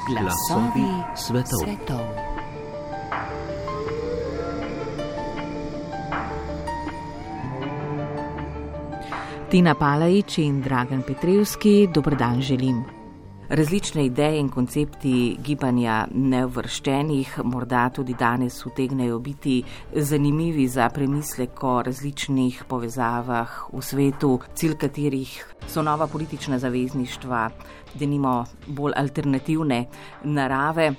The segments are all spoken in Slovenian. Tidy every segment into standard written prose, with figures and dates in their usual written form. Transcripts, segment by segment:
Glasovi svetov. Tina Palajič in Dragan Petrevski, dober dan želim. Različne ideje in koncepti gibanja neuvrščenih morda tudi danes utegnejo biti zanimivi za premislek o različnih povezavah v svetu, cilj katerih so nova politična zavezništva, denimo bolj alternativne narave.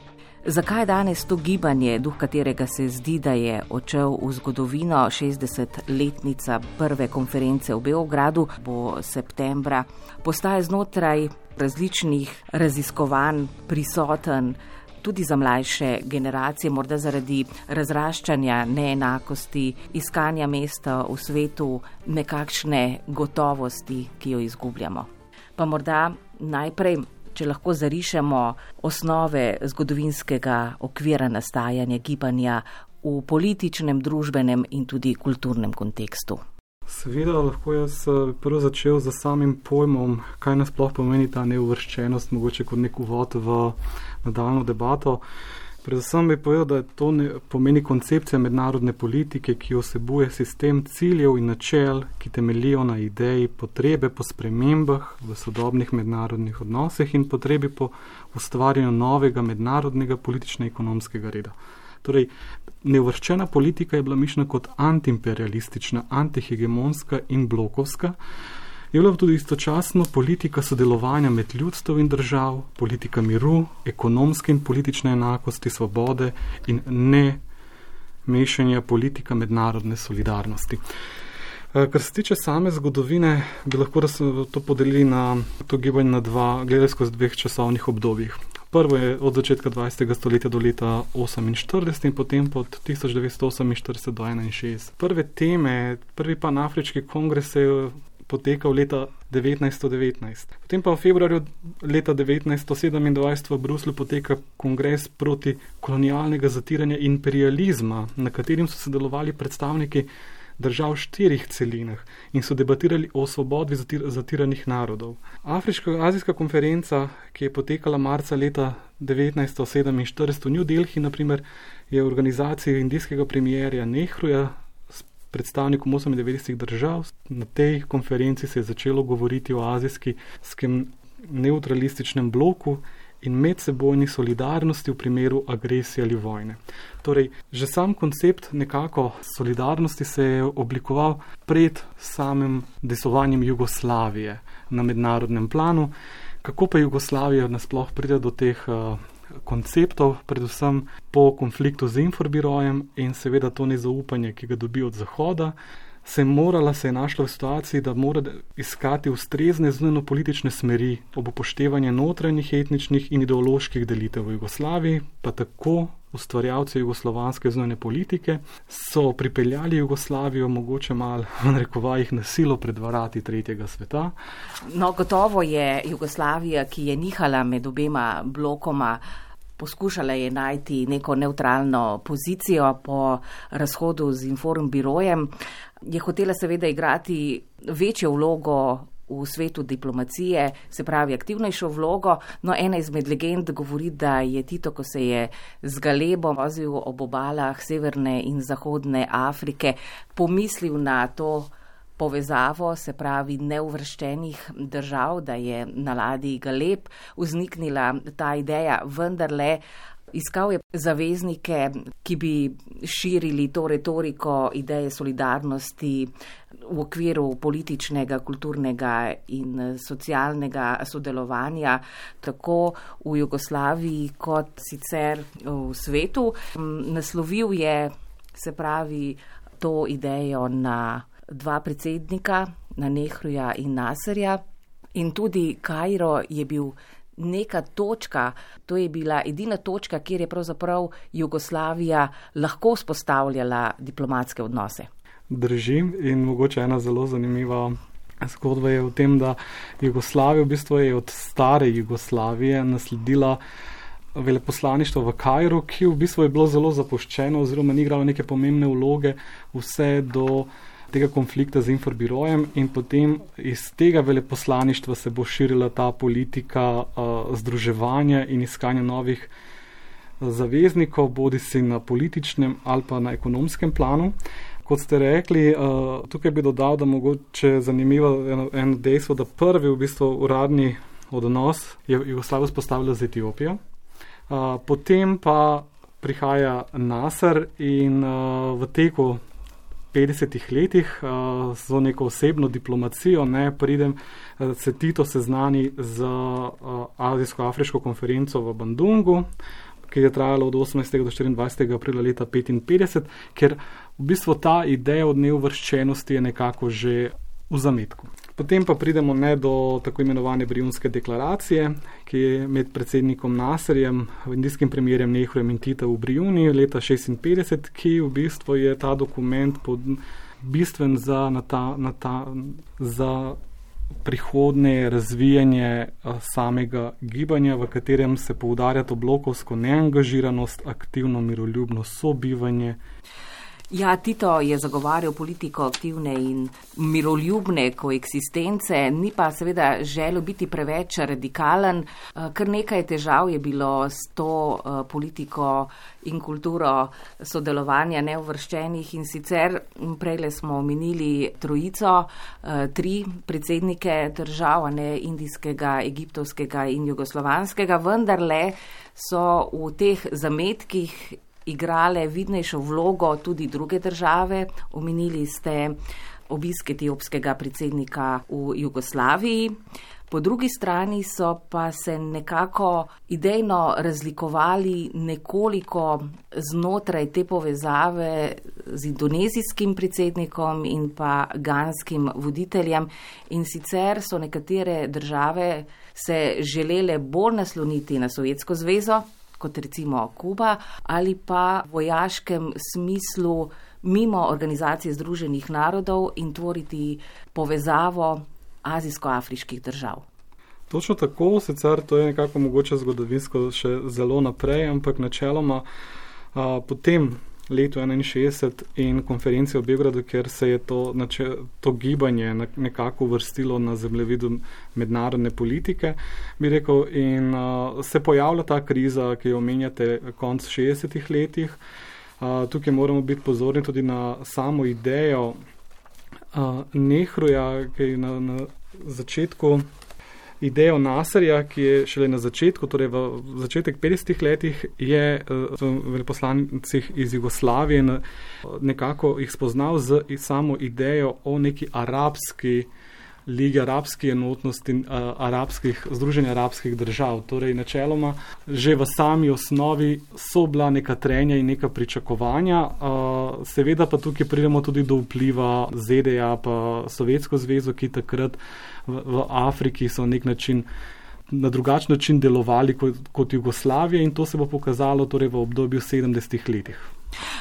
Zakaj danes to gibanje, duh katerega se zdi, da je odšel v zgodovino, 60-letnica prve konference v Beogradu bo septembra, postaje znotraj različnih raziskovanj prisoten tudi za mlajše generacije, morda zaradi razraščanja neenakosti, iskanja mesta v svetu, nekakšne gotovosti, ki jo izgubljamo. Pa morda najprej, če lahko zarišemo osnove zgodovinskega okvira nastajanja gibanja v političnem, družbenem in tudi kulturnem kontekstu. Seveda lahko jaz prvo začel z samim pojmom, kaj nasploh pomeni ta neuvrščenost, mogoče kot nek uvod v nadaljnjo debato. Predvsem bi povedal, da to pomeni koncepcija mednarodne politike, ki vsebuje sistem ciljev in načel, ki temeljijo na ideji potrebe po spremembah v sodobnih mednarodnih odnosih in potrebi po ustvarjanju novega mednarodnega politično-ekonomskega reda. Torej, neuvrščena politika je bila mišljena kot antiimperialistična, antihegemonska in blokovska. Je bila tudi istočasno politika sodelovanja med ljudstvom in držav, politika miru, ekonomske in politične enakosti, svobode in ne mešanja politika mednarodne solidarnosti. Kar se tiče same zgodovine, bi lahko to podelili na to gibanje na gledali skozi dveh časovnih obdobjih. Prvo je od začetka 20. stoletja do leta 1948 in potem od 1948 do 1961. Prve teme, prvi panafriški kongres je potekal leta 1919. Potem pa v februarju leta 1927 v Bruslju poteka kongres proti kolonialnega zatiranja imperializma, na katerim so sodelovali predstavniki držav v 4 celinah in so debatirali o svobodi zatiranih narodov. Afriško-azijska konferenca, ki je potekala marca leta 1947 v New Delhi, naprimer, je v organizaciji indijskega premijerja Nehruja s predstavnikom 98 držav. Na tej konferenci se je začelo govoriti o azijskem neutralističnem bloku in medsebojni solidarnosti v primeru agresije ali vojne. Torej, že sam koncept nekako solidarnosti se je oblikoval pred samim desovanjem Jugoslavije na mednarodnem planu. Kako pa Jugoslavija nasploh pride do teh konceptov, predvsem po konfliktu z Inforbirojem in seveda to nezaupanje, ki ga dobi od Zahoda, se je našla v situaciji, da mora iskati ustrezne zunanjepolitične smeri ob upoštevanju notranjih etničnih in ideoloških delitev v Jugoslaviji, pa tako ustvarjalci jugoslovanske zunanje politike so pripeljali Jugoslavijo mogoče malo v narekovajih na silo pred vrati tretjega sveta. No, gotovo je Jugoslavija, ki je nihala med obema blokoma, poskušala je najti neko nevtralno pozicijo po razhodu z Informbirojem. Je hotela seveda igrati večjo vlogo v svetu diplomacije, se pravi aktivnejšo vlogo. No, ena izmed legend govori, da je Tito, ko se je z galebom vozil ob obalah severne in zahodne Afrike, pomislil na to povezavo, se pravi neuvrščenih držav, da je na ladji galeb vzniknila ta ideja, vendarle iskal je zaveznike, ki bi širili to retoriko ideje solidarnosti v okviru političnega, kulturnega in socialnega sodelovanja, tako v Jugoslaviji kot sicer v svetu. Naslovil je, se pravi, to idejo na 2 predsednika, na Nehruja in Nasserja, in tudi Kairo je bil neka točka, to je bila edina točka, kjer je pravzaprav Jugoslavija lahko vzpostavljala diplomatske odnose. Držim in mogoče ena zelo zanimiva zgodba je v tem, da Jugoslavija v bistvu je od stare Jugoslavije nasledila veleposlaništvo v Kairu, ki v bistvu je bilo zelo zapuščeno oziroma ni igralo neke pomembne vloge vse do tega konflikta z Inforbirojem in potem iz tega veleposlaništva se bo širila ta politika združevanja in iskanja novih zaveznikov, bodisi na političnem ali pa na ekonomskem planu. Kot ste rekli, tukaj bi dodal, da mogoče zanimivo eno dejstvo, da prvi v bistvu uradni odnos je Jugoslavijo vzpostavila z Etiopijo. Potem pa prihaja Nasser in v teku 50 letih z neko osebno diplomacijo se Tito seznani z Azijsko-afriško konferenco v Bandungu, ki je trajala od 18. do 24. aprila leta 1955, ker v bistvu ta ideja od neuvrščenosti je nekako že v zametku. Potem pa pridemo do tako imenovane Brijunske deklaracije, ki je med predsednikom Nasserjem, indijskim premijerjem Nehrujem in Tito v Brijuni leta 1956, ki v bistvu je ta dokument bistven za prihodnje razvijanje samega gibanja, v katerem se poudarja to blokovsko neangažiranost, aktivno miroljubno sobivanje. Ja, Tito je zagovarjal politiko aktivne in miroljubne koeksistence, ni pa seveda želel biti preveč radikalen. Kar nekaj težav je bilo s to politiko in kulturo sodelovanja neuvrščenih in sicer prejle smo omenili trojico, 3 predsednike držav, indijskega, egiptovskega in jugoslovanskega, vendarle so v teh zametkih igrale vidnejšo vlogo tudi druge države. Omenili ste obisk etiopskega predsednika v Jugoslaviji. Po drugi strani so pa se nekako idejno razlikovali nekoliko znotraj te povezave z indonezijskim predsednikom in pa ganskim voditeljem. In sicer so nekatere države se želele bolj nasloniti na Sovjetsko zvezo, kot recimo Kuba, ali pa v vojaškem smislu mimo Organizacije združenih narodov in tvoriti povezavo azijsko-afriških držav. Točno tako, sicer to je nekako mogoče zgodovinsko še zelo naprej, ampak načeloma potem letu 1961 in konferenci v Beogradu, ker se je to gibanje nekako uvrstilo na zemljevidu mednarodne politike, bi rekel, in se pojavlja ta kriza, ki jo omenjate konc 60-ih letih. Tukaj moramo biti pozorni tudi na samo idejo Nehruja, ki je na začetku idejo Nasserja, ki je šele na začetku, torej v začetek 50 letih, je v veleposlanicih iz Jugoslavije nekako jih spoznal z samo idejo o neki arabski ligi, arabski enotnosti, združenja arabskih držav. Torej, načeloma, že v sami osnovi so bila neka trenja in neka pričakovanja. Seveda pa tukaj pridemo tudi do vpliva ZDA pa Sovjetsko zvezo, ki takrat v Afriki so na drugačen način delovali kot Jugoslavija, in to se bo pokazalo torej v obdobju 70 letih.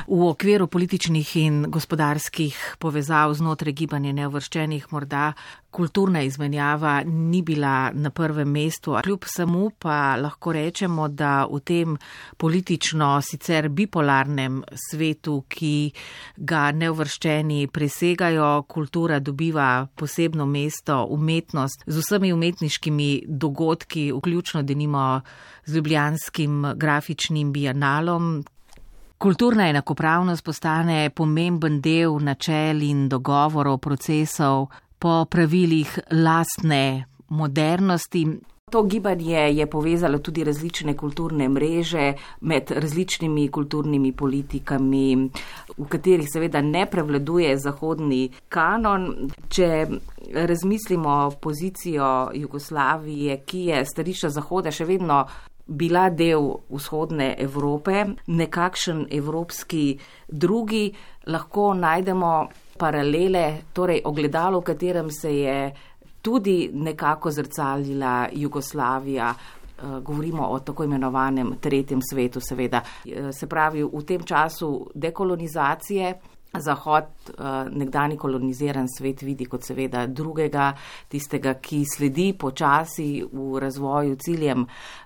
V okviru političnih in gospodarskih povezav znotraj gibanja neuvrščenih morda kulturna izmenjava ni bila na prvem mestu. Kljub samo pa lahko rečemo, da v tem politično sicer bipolarnem svetu, ki ga neuvrščeni presegajo, kultura dobiva posebno mesto, umetnost z vsemi umetniškimi dogodki, vključno denimo z ljubljanskim grafičnim bienalom. Kulturna enakopravnost postane pomemben del načel in dogovorov, procesov po pravilih lastne modernosti. To gibanje je povezalo tudi različne kulturne mreže med različnimi kulturnimi politikami, v katerih seveda ne prevladuje zahodni kanon. Če razmislimo pozicijo Jugoslavije, ki je stališča Zahoda še vedno bila del vzhodne Evrope, nekakšen evropski drugi, lahko najdemo paralele, torej ogledalo, v katerem se je tudi nekako zrcalila Jugoslavija. Govorimo o tako imenovanem tretjem svetu, seveda. Se pravi, v tem času dekolonizacije Zahod, nekdani koloniziran svet, vidi kot seveda drugega, tistega, ki sledi počasi v razvoju ciljem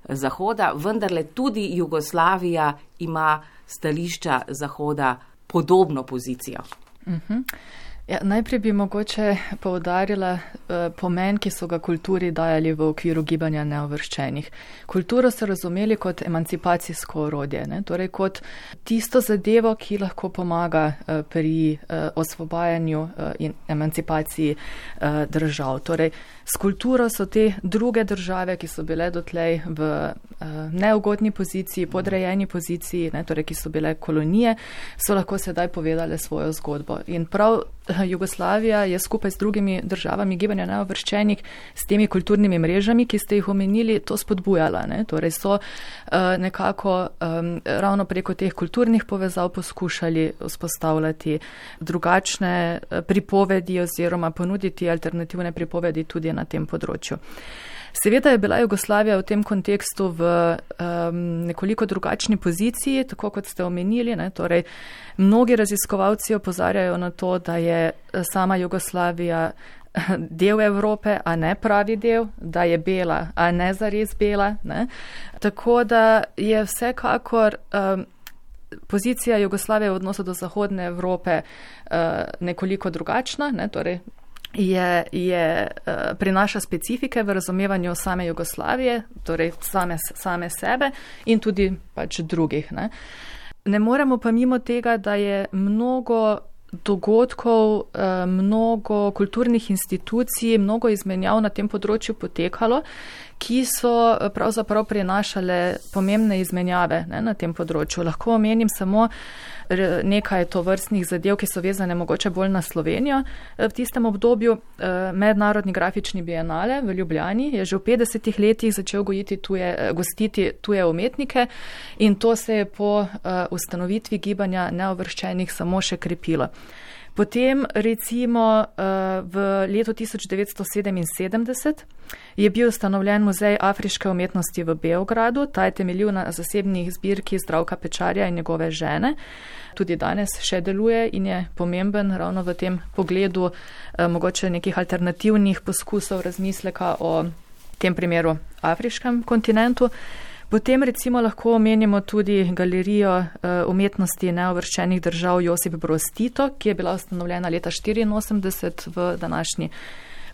Zahoda, vendarle tudi Jugoslavija ima stališča Zahoda podobno pozicijo. Ja, najprej bi mogoče poudarila pomen, ki so ga kulturi dajali v okviru gibanja neuvrščenih. Kulturo so razumeli kot emancipacijsko orodje, ne? Torej kot tisto zadevo, ki lahko pomaga pri osvobajanju in emancipaciji držav. Torej, s kulturo so te druge države, ki so bile dotlej v neugodni poziciji, podrejeni poziciji, ne? Torej, ki so bile kolonije, so lahko sedaj povedale svojo zgodbo. In prav Jugoslavija je skupaj z drugimi državami gibanja neuvrščenih s temi kulturnimi mrežami, ki ste jih omenili, to spodbujala. Ne? Torej so nekako ravno preko teh kulturnih povezav poskušali vzpostavljati drugačne pripovedi oziroma ponuditi alternativne pripovedi tudi na tem področju. Seveda je bila Jugoslavija v tem kontekstu v nekoliko drugačni poziciji, tako kot ste omenili. Ne? Torej, mnogi raziskovalci opozarjajo na to, da je sama Jugoslavija del Evrope, a ne pravi del, da je bela, a ne zares bela. Ne? Tako da je vsekakor pozicija Jugoslavije v odnosu do Zahodne Evrope nekoliko drugačna, ne? Torej, prinaša specifike v razumevanju same Jugoslavije, torej same sebe in tudi pač drugih. Ne moremo pa mimo tega, da je mnogo dogodkov, mnogo kulturnih institucij, mnogo izmenjav na tem področju potekalo, ki so pravzaprav prinašale pomembne izmenjave na tem področju. Lahko omenim samo nekaj tovrstnih zadev, ki so vezane mogoče bolj na Slovenijo. V tistem obdobju Mednarodni grafični bienale v Ljubljani je že v 50 letih začel gostiti tuje umetnike in to se je po ustanovitvi gibanja neuvrščenih samo še krepilo. Potem recimo v letu 1977 je bil ustanovljen Muzej afriške umetnosti v Beogradu. Ta je temeljil na zasebnih zbirki Zdravka Pečarja in njegove žene. Tudi danes še deluje in je pomemben ravno v tem pogledu mogoče nekih alternativnih poskusov razmisleka o tem primeru afriškem kontinentu. Potem recimo lahko omenimo tudi galerijo umetnosti neuvrščenih držav Josip Broz Tito, ki je bila ustanovljena leta 1984 v današnji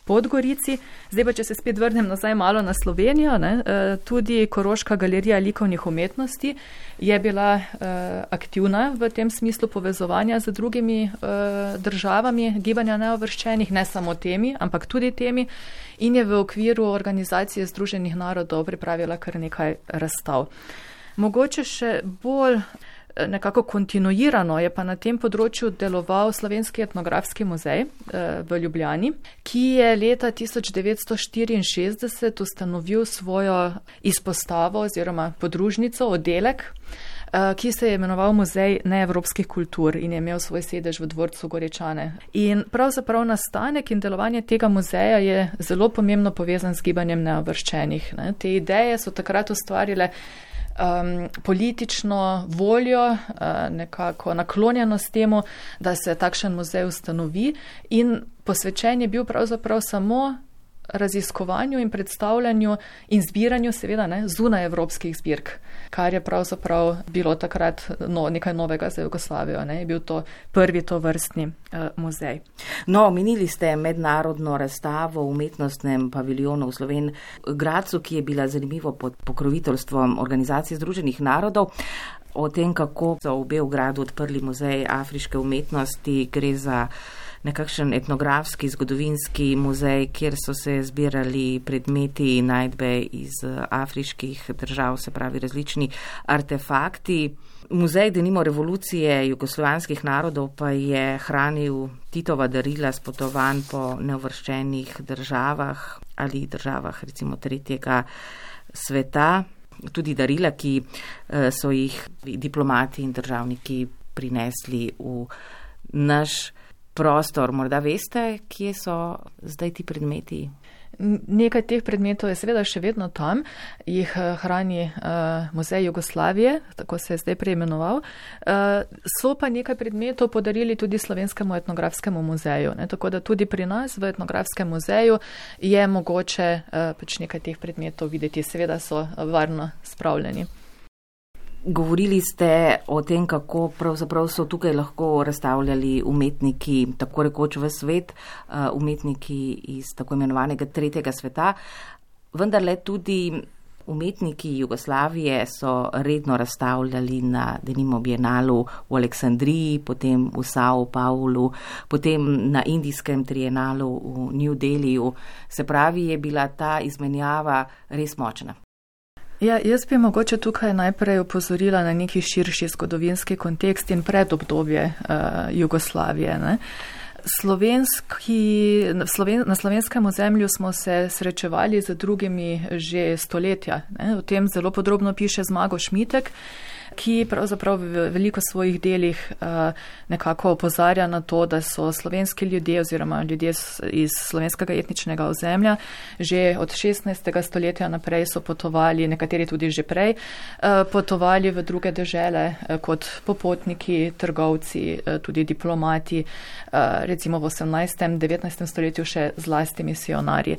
Podgorici. Zdaj pa, če se spet vrnem nazaj malo na Slovenijo, tudi Koroška galerija likovnih umetnosti je bila aktivna v tem smislu povezovanja z drugimi državami gibanja neuvrščenih, ne samo temi, ampak tudi temi, in je v okviru Organizacije Združenih narodov pripravila kar nekaj razstav. Mogoče še bolj nekako kontinuirano je pa na tem področju deloval Slovenski etnografski muzej v Ljubljani, ki je leta 1964 ustanovil svojo izpostavo oziroma podružnico, oddelek, ki se je imenoval Muzej neevropskih kultur in je imel svoj sedež v dvorcu Goričane. In pravzaprav nastanek in delovanje tega muzeja je zelo pomembno povezan z gibanjem neuvrščenih. Te ideje so takrat ustvarile politično voljo, nekako naklonjenost temu, da se takšen muzej ustanovi, in posvečen je bil pravzaprav samo raziskovanju in predstavljanju in zbiranju seveda zunaj evropskih zbirk, kar je pravzaprav bilo takrat nekaj novega za Jugoslavijo. Je bil to prvi tovrstni muzej. No, omenili ste mednarodno razstavo v umetnostnem paviljonu v Slovenj Gradcu, ki je bila zanimivo pod pokroviteljstvom Organizacije Združenih narodov. O tem, kako so v Beogradu odprli muzej afriške umetnosti, gre za nekakšen etnografski, zgodovinski muzej, kjer so se zbirali predmeti in najdbe iz afriških držav, se pravi različni artefakti. Muzej denimo revolucije jugoslovanskih narodov pa je hranil Titova darila s potovanj po neuvrščenih državah ali državah recimo tretjega sveta. Tudi darila, ki so jih diplomati in državniki prinesli v naš prostor. Morda veste, kje so zdaj ti predmeti? Nekaj teh predmetov je seveda še vedno tam, jih hrani Muzej Jugoslavije, tako se je zdaj preimenoval. So pa nekaj predmetov podarili tudi Slovenskemu etnografskemu muzeju, tako da tudi pri nas v etnografskem muzeju je mogoče pač nekaj teh predmetov videti, seveda so varno spravljeni. Govorili ste o tem, kako pravzaprav so tukaj lahko razstavljali umetniki, tako rekoč v svet, umetniki iz tako imenovanega tretjega sveta, vendar le tudi umetniki Jugoslavije so redno razstavljali na denimo Bienalu v Aleksandriji, potem v Sao Paulu, potem na Indijskem trienalu v New Delhiju. Se pravi, je bila ta izmenjava res močna. Ja, jaz bi mogoče tukaj najprej opozorila na neki širši zgodovinski kontekst in predobdobje Jugoslavije. Ne? Na slovenskem ozemlju smo se srečevali z drugimi že stoletja. Ne? O tem zelo podrobno piše Zmago Šmitek, ki pravzaprav v veliko svojih delih nekako opozarja na to, da so slovenski ljudje oziroma ljudje iz slovenskega etničnega ozemlja že od 16. stoletja naprej so potovali, nekateri tudi že prej, potovali v druge dežele kot popotniki, trgovci, tudi diplomati, recimo v 18. 19. stoletju še zlasti misionarji.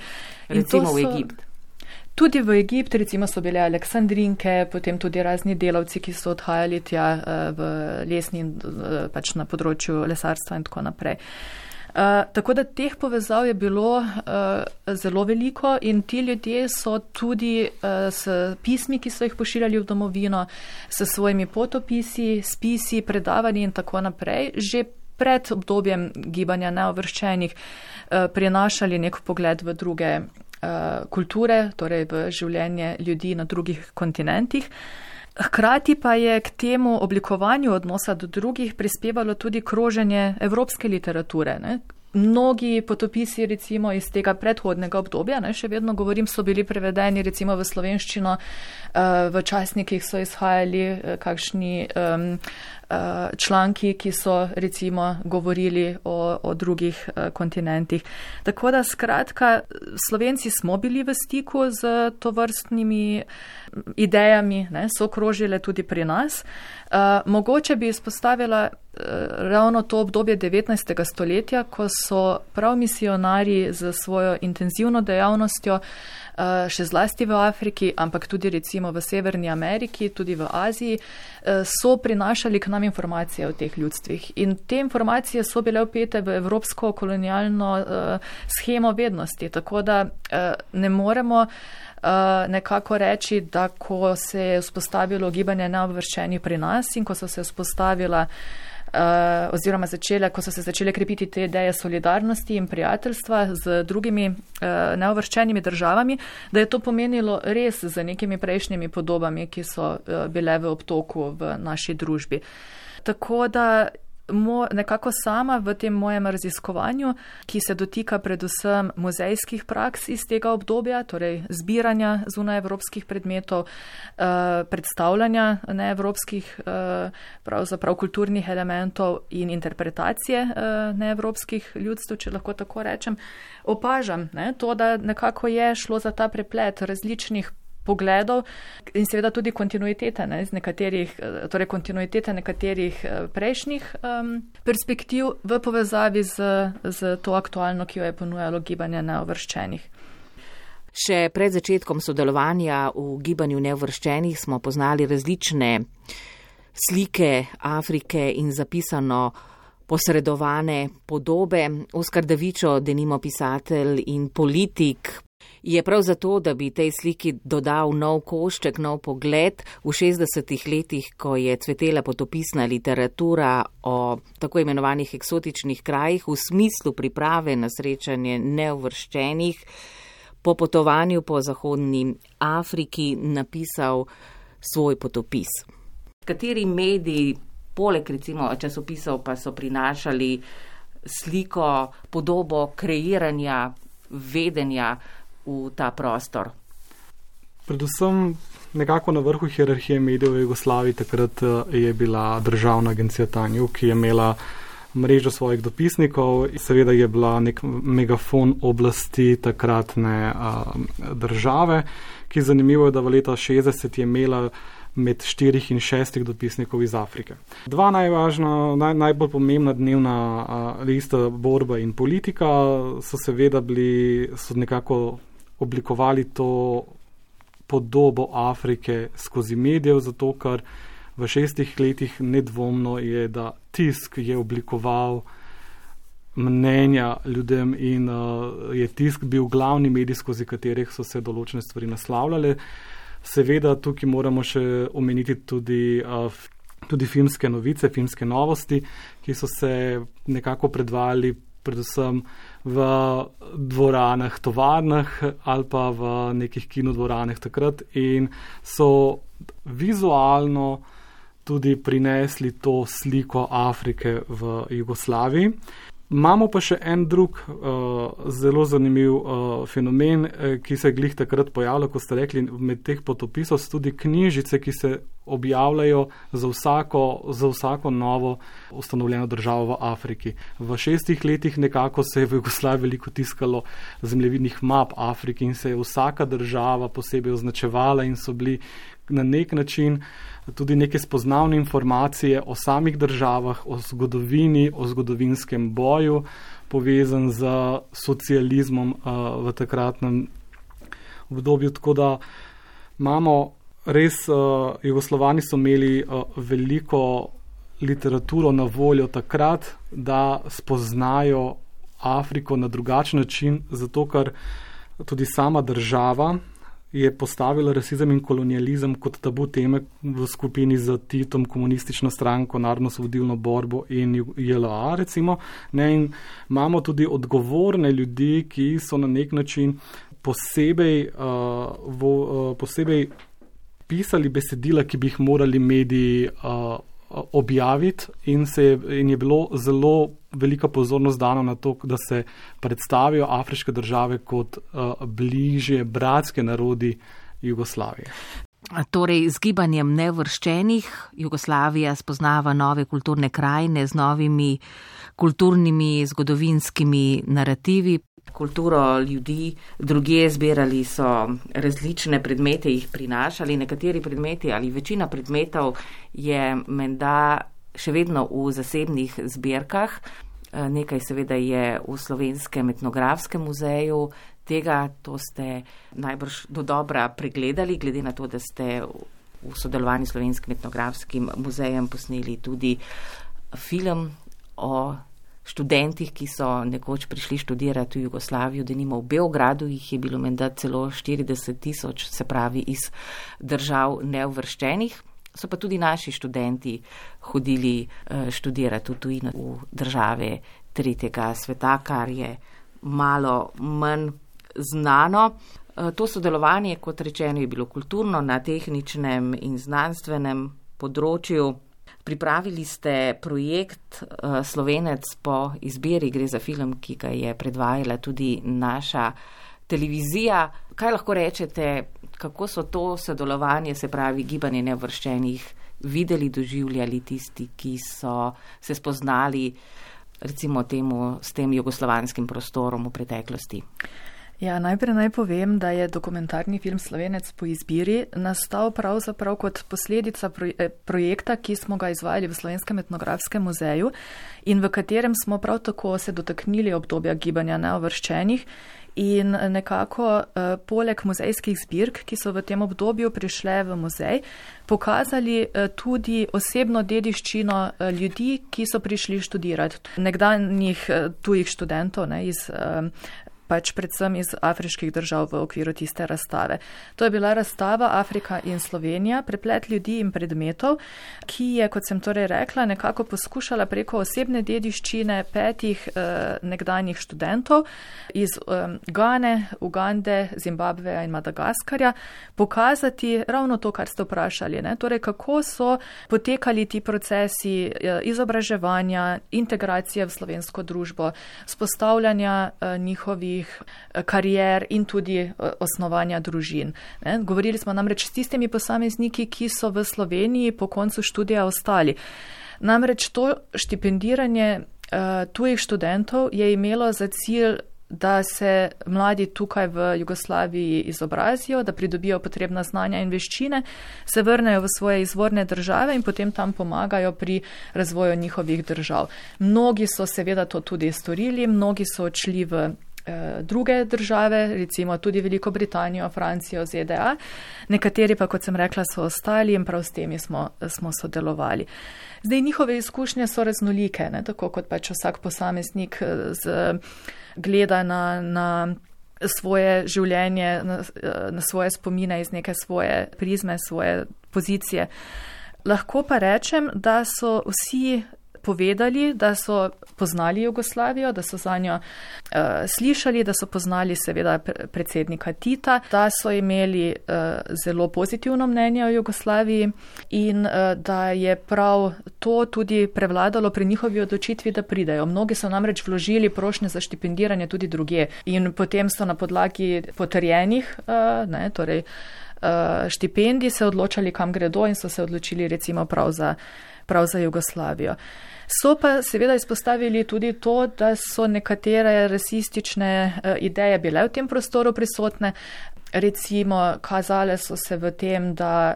Recimo v Egipt. Tudi v Egipt, recimo so bile Aleksandrinke, potem tudi razni delavci, ki so odhajali tja v lesni in pač na področju lesarstva in tako naprej. Tako da teh povezav je bilo zelo veliko in ti ljudje so tudi s pismi, ki so jih pošiljali v domovino, s svojimi potopisi, spisi, predavanji in tako naprej, že pred obdobjem gibanja neuvrščenih prinašali nek pogled v druge kulture, torej v življenje ljudi na drugih kontinentih. Hkrati pa je k temu oblikovanju odnosa do drugih prispevalo tudi kroženje evropske literature. Ne? Mnogi potopisi recimo iz tega predhodnega obdobja, ne, še vedno govorim, so bili prevedeni recimo v slovenščino, v časnikih so izhajali kakšni članki, ki so recimo govorili o drugih kontinentih. Tako da skratka, Slovenci smo bili v stiku z tovrstnimi idejami, ne, so krožile tudi pri nas. Mogoče bi izpostavila ravno to obdobje 19. stoletja, ko so prav misionarji z svojo intenzivno dejavnostjo še zlasti v Afriki, ampak tudi recimo v Severni Ameriki, tudi v Aziji, so prinašali k nam informacije o teh ljudstvih. In te informacije so bile vpete v evropsko kolonialno shemo vednosti, tako da ne moremo nekako reči, da ko se je vzpostavilo gibanje neobveščenih pri nas in ko so se vzpostavila oziroma ko so se začele krepiti te ideje solidarnosti in prijateljstva z drugimi neovrščenimi državami, da je to pomenilo res z nekimi prejšnjimi podobami, ki so bile v obtoku v naši družbi. Tako da nekako sama v tem mojem raziskovanju, ki se dotika predvsem muzejskih praks iz tega obdobja, torej zbiranja zunajevropskih predmetov, predstavljanja neevropskih pravzaprav kulturnih elementov in interpretacije neevropskih ljudstv, če lahko tako rečem, opažam to, da nekako je šlo za ta preplet različnih pogledov in seveda tudi kontinuitete, torej kontinuitete nekaterih prejšnjih perspektiv v povezavi z to aktualno, ki jo je ponujalo gibanje neuvrščenih. Še pred začetkom sodelovanja v gibanju neuvrščenih smo poznali različne slike Afrike in zapisano posredovane podobe. Oskar Davičo, denimo pisatelj in politik, je prav zato, da bi tej sliki dodal nov košček, nov pogled v 60. letih, ko je cvetela potopisna literatura o tako imenovanih eksotičnih krajih v smislu priprave na srečanje neuvrščenih, po potovanju po zahodni Afriki napisal svoj potopis. Kateri mediji, poleg recimo časopisov, pa so prinašali sliko, podobo kreiranja, vedenja v ta prostor? Predvsem nekako na vrhu hierarhije medijev v Jugoslaviji takrat je bila državna agencija Tanjug, ki je imela mrežo svojih dopisnikov. Seveda je bila nek megafon oblasti takratne države, ki zanimivo je, da v leta 60 je imela med 4 in 6 dopisnikov iz Afrike. Dva najbolj pomembna dnevna lista Borba in Politika so seveda so nekako oblikovali to podobo Afrike skozi medijev, zato ker v 6 letih nedvomno je, da tisk je oblikoval mnenja ljudem in je tisk bil glavni medij, skozi katerih so se določene stvari naslavljale. Seveda tukaj moramo še omeniti tudi filmske novice, filmske novosti, ki so se nekako predvajali predvsem v dvoranah, tovarnah ali pa v nekih kinodvoranah takrat in so vizualno tudi prinesli to sliko Afrike v Jugoslaviji. Imamo pa še en drug zelo zanimiv fenomen, ki se je glih takrat pojavljal, ko ste rekli, med teh potopisov so tudi knjižice, ki se objavljajo za vsako novo ustanovljeno državo v Afriki. V 6 letih nekako se je v Jugoslaviji veliko tiskalo zemljevidnih map Afrike in se je vsaka država posebej označevala in so bili na nek način tudi neke spoznavne informacije o samih državah, o zgodovini, o zgodovinskem boju, povezan z socializmom v takratnem obdobju. Tako da imamo res, Jugoslovani so imeli veliko literaturo na voljo takrat, da spoznajo Afriko na drugačen način, zato ker tudi sama država je postavila rasizem in kolonializem kot tabu teme v skupini z Titom, komunistično stranko, narodno-osvobodilno borbo in JLA, recimo. In imamo tudi odgovorne ljudi, ki so na nek način posebej pisali besedila, ki bi jih morali mediji objaviti in je bilo zelo velika pozornost dana na to, da se predstavijo afriške države kot bližje bratske narodi Jugoslavije. Torej, z gibanjem neuvrščenih Jugoslavija spoznava nove kulturne krajine z novimi kulturnimi, zgodovinskimi narativi. Kulturo ljudi drugje zbirali so različne predmete, jih prinašali. Nekateri predmeti ali večina predmetov je menda še vedno v zasebnih zbirkah. Nekaj seveda je v Slovenskem etnografskem muzeju. To ste najbrž dodobra pregledali, glede na to, da ste v sodelovanju s Slovenskim etnografskim muzejem posneli tudi film o študentih, ki so nekoč prišli študirati v Jugoslavijo, denimo v Beogradu, jih je bilo menda celo 40,000, se pravi iz držav neuvrščenih. So pa tudi naši študenti hodili študirati v tujino, v države tretjega sveta, kar je malo manj znano. To sodelovanje, kot rečeno, je bilo kulturno, na tehničnem in znanstvenem področju. Pripravili ste projekt Slovenec po izbiri, gre za film, ki ga je predvajala tudi naša televizija. Kaj lahko rečete, kako so to sodelovanje, se pravi gibanje neuvrščenih, videli, doživljali tisti, ki so se spoznali recimo s tem jugoslovanskim prostorom v preteklosti? Ja, najprej naj povem, da je dokumentarni film Slovenec po izbiri nastal pravzaprav kot posledica projekta, ki smo ga izvajali v Slovenskem etnografskem muzeju in v katerem smo prav tako se dotaknili obdobja gibanja neuvrščenih in nekako poleg muzejskih zbirk, ki so v tem obdobju prišle v muzej, pokazali tudi osebno dediščino ljudi, ki so prišli študirati. Nekdanjih tujih študentov iz predvsem iz afriških držav v okviru tiste razstave. To je bila razstava Afrika in Slovenija, preplet ljudi in predmetov, ki je, kot sem torej rekla, nekako poskušala preko osebne dediščine 5 nekdanjih študentov iz Gane, Ugande, Zimbabveja in Madagaskarja pokazati ravno to, kar ste vprašali. Torej, kako so potekali ti procesi izobraževanja, integracije v slovensko družbo, spostavljanja njihovih karier in tudi osnovanja družin. Govorili smo namreč s tistimi posamezniki, ki so v Sloveniji po koncu študija ostali. Namreč to štipendiranje tujih študentov je imelo za cilj, da se mladi tukaj v Jugoslaviji izobrazijo, da pridobijo potrebna znanja in veščine, se vrnejo v svoje izvorne države in potem tam pomagajo pri razvoju njihovih držav. Mnogi so seveda to tudi storili, mnogi so odšli v druge države, recimo tudi Veliko Britanijo, Francijo, ZDA. Nekateri pa, kot sem rekla, so ostali in prav s temi smo sodelovali. Zdaj, njihove izkušnje so raznolike, ne? Tako kot pač vsak posameznik gleda na svoje življenje, na svoje spomine iz neke svoje prizme, svoje pozicije. Lahko pa rečem, da so vsi povedali, da so poznali Jugoslavijo, da so za njo slišali, da so poznali seveda predsednika Tita, da so imeli zelo pozitivno mnenje o Jugoslaviji in da je prav to tudi prevladalo pri njihovi odločitvi, da pridejo. Mnogi so namreč vložili prošnje za štipendiranje tudi drugje in potem so na podlagi potrjenih, torej štipendij se odločali, kam gredo in so se odločili recimo prav za Jugoslavijo. So pa seveda izpostavili tudi to, da so nekatere rasistične ideje bile v tem prostoru prisotne. Recimo, kazale so se v tem, da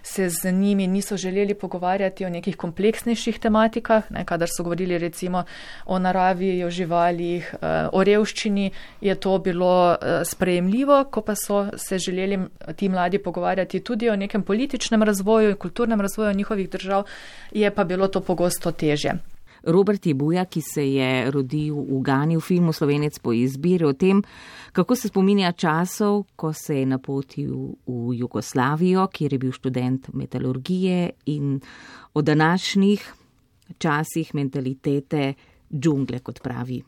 se z njimi niso želeli pogovarjati o nekih kompleksnejših tematikah, kadar so govorili recimo o naravi, o živalih, o revščini, je to bilo sprejemljivo, ko pa so se želeli ti mladi pogovarjati tudi o nekem političnem razvoju in kulturnem razvoju njihovih držav, je pa bilo to pogosto težje. Robert Jebuja, ki se je rodil v Gani, v filmu Slovenec po izbiri, o tem, kako se spominja časov, ko se je napotil v Jugoslavijo, kjer je bil študent metalurgije, in o današnjih časih mentalitete džungle, kot pravi.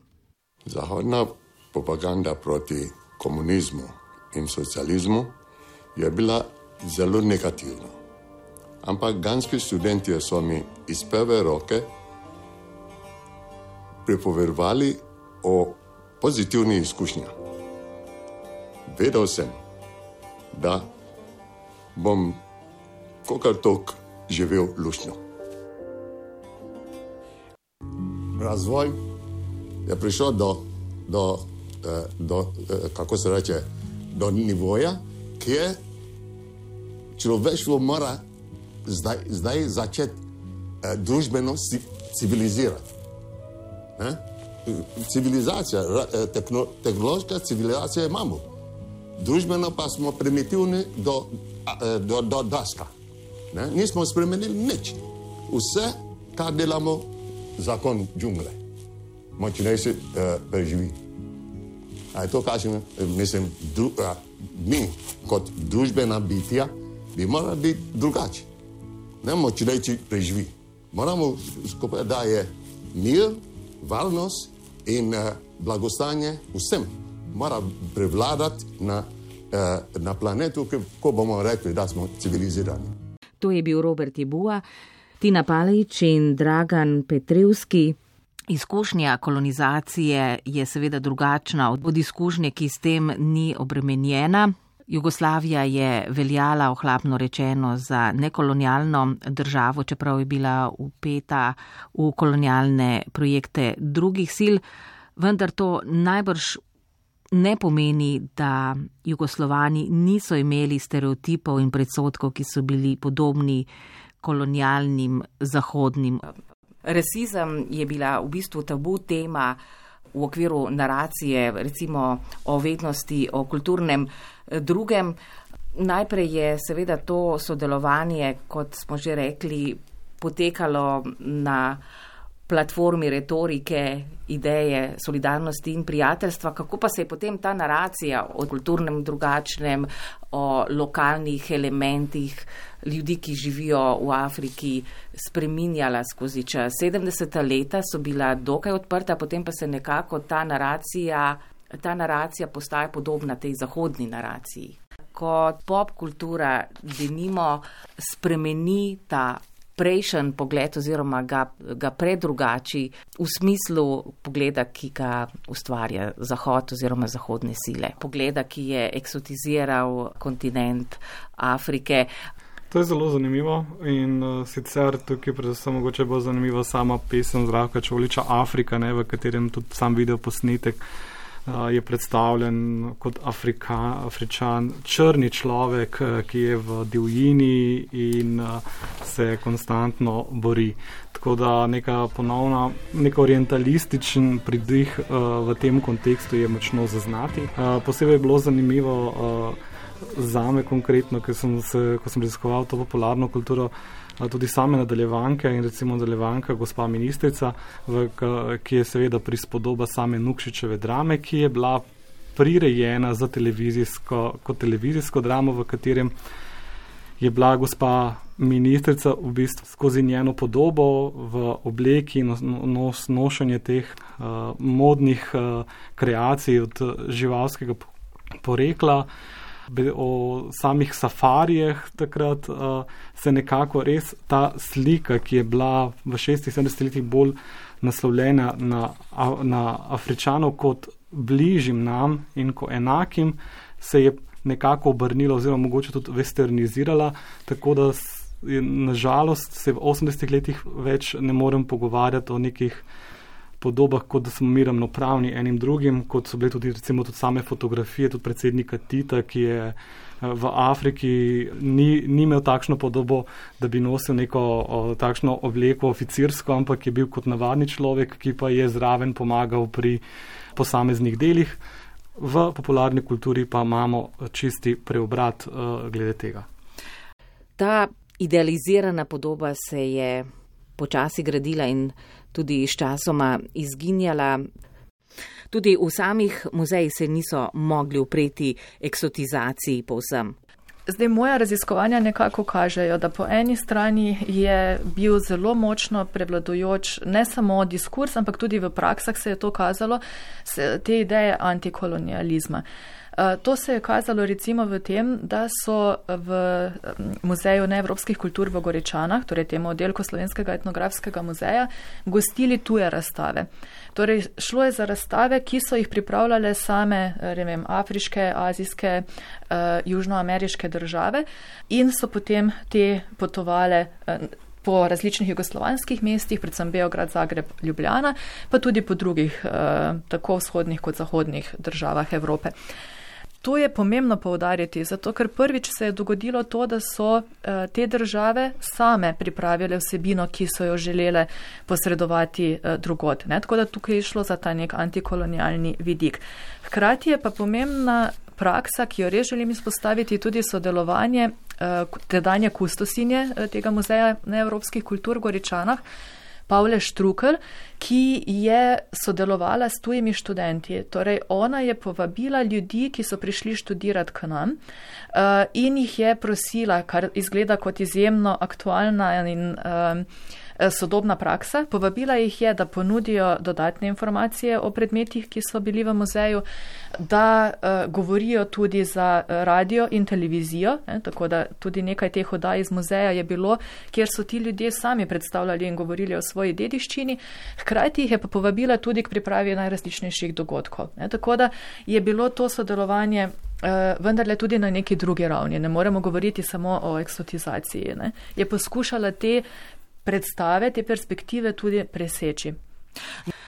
Zahodna propaganda proti komunizmu in socializmu je bila zelo negativna. Ampak ganski študentje so mi iz prve roke pripovedovali o pozitivnih izkušnjah. Vedel sem, da bom kakor tok živel luštno. Razvoj je prišel do nivoja, kjer človeštvo mora zdaj začeti družbeno civilizirati. Civilizacija, tehnološka civilizacija imamo. Družbeno pa smo primitivni do daska. Nismo spremenili nič. Vse, kar delamo, zakon džungle. Močnejši preživi. A je to kažem, mislim, mi kot družbena bitja bi morali biti drugači. Ne močnejši preživi. Moramo skupaj, da je mir, varnost in blagostanje vsem mora prevladati na planetu, ko bomo rekli, da smo civilizirani. To je bil Robert Jebuja, Tina Palić in Dragan Petrevski. Izkušnja kolonizacije je seveda drugačna od izkušnje, ki s tem ni obremenjena. Jugoslavija je veljala, ohlapno rečeno, za nekolonialno državo, čeprav je bila vpeta v kolonialne projekte drugih sil, vendar to najbrž ne pomeni, da Jugoslovani niso imeli stereotipov in predsodkov, ki so bili podobni kolonialnim zahodnim. Rasizem je bila v bistvu tabu tema v okviru naracije, recimo o vednosti, o kulturnem drugem. Najprej je seveda to sodelovanje, kot smo že rekli, potekalo na platformi retorike, ideje solidarnosti in prijateljstva. Kako pa se je potem ta naracija o kulturnem drugačnem, o lokalnih elementih ljudi, ki živijo v Afriki, spreminjala skozi čas? 70. leta so bila dokaj odprta, potem pa se nekako ta naracija postaja podobna tej zahodni naraciji. Ko pop kultura denimo spremeni ta prejšen pogled oziroma ga predrugači v smislu pogleda, ki ga ustvarja Zahod oziroma zahodne sile. Pogleda, ki je eksotiziral kontinent Afrike. To je zelo zanimivo in sicer tukaj predvsem mogoče bo zanimiva sama pesem Zdravka Čolića Afrika, v katerem tudi sam video posnetek je predstavljen kot Afričan, črni človek, ki je v divjini in se konstantno bori. Tako da nek orientalističen pridih v tem kontekstu je močno zaznati. Posebej je bilo zanimivo zame konkretno, ko sem raziskoval to popularno kulturo, tudi same nadaljevanke in recimo nadaljevanka Gospa ministrica, ki je seveda prispodoba same Nukšičeve drame, ki je bila prirejena za kot televizijsko dramo, v katerem je bila gospa ministrica v bistvu skozi njeno podobo v obleki in nošenje teh modnih kreacij od živalskega porekla. O samih safarijah takrat se nekako res ta slika, ki je bila v 60-70 letih bolj naslovljena na Afričanov kot bližjim nam in kot enakim, se je nekako obrnila oziroma mogoče tudi westernizirala, tako da nažalost se v 80 letih več ne morem pogovarjati o nekih podobah, kot da smo mi ravnopravni enim drugim, kot so bile tudi recimo tudi same fotografije, tudi predsednika Tita, ki je v Afriki ni imel takšno podobo, da bi nosil neko takšno obleko oficirsko, ampak je bil kot navadni človek, ki pa je zraven pomagal pri posameznih delih. V popularni kulturi pa imamo čisti preobrat glede tega. Ta idealizirana podoba se je počasi gradila in tudi sčasoma izginjala. Tudi v samih muzejih se niso mogli upreti eksotizaciji povsem. Zdaj, moja raziskovanja nekako kažejo, da po eni strani je bil zelo močno prevladujoč ne samo diskurs, ampak tudi v praksah se je to kazalo, te ideje antikolonializma. To se je kazalo recimo v tem, da so v Muzeju neevropskih kultur v Goričanah, torej temu oddelku Slovenskega etnografskega muzeja, gostili tuje razstave. Torej, šlo je za razstave, ki so jih pripravljale same, afriške, azijske, južnoameriške države in so potem te potovale po različnih jugoslovanskih mestih, predvsem Beograd, Zagreb, Ljubljana, pa tudi po drugih, tako vzhodnih kot zahodnih državah Evrope. To je pomembno poudariti, zato ker prvič se je dogodilo to, da so te države same pripravile vsebino, ki so jo želele posredovati drugod. Tako da tukaj je šlo za ta nek antikolonialni vidik. Hkrati je pa pomembna praksa, ki jo res želim izpostaviti, tudi sodelovanje tedanje kustosinje tega muzeja neevropskih kultur v Goričanah, Pavle Štrukelj, ki je sodelovala s tujimi študenti. Torej, ona je povabila ljudi, ki so prišli študirati k nam in jih je prosila, kar izgleda kot izjemno aktualna in sodobna praksa. Povabila jih je, da ponudijo dodatne informacije o predmetih, ki so bili v muzeju, da govorijo tudi za radio in televizijo, tako da tudi nekaj teh oddaj iz muzeja je bilo, kjer so ti ljudje sami predstavljali in govorili o svoji dediščini. Hkrati jih je pa povabila tudi k pripravi najrazličnejših dogodkov. Tako da je bilo to sodelovanje vendarle tudi na neki drugi ravni. Ne moremo govoriti samo o eksotizaciji. Je poskušala te predstave, te perspektive tudi preseči.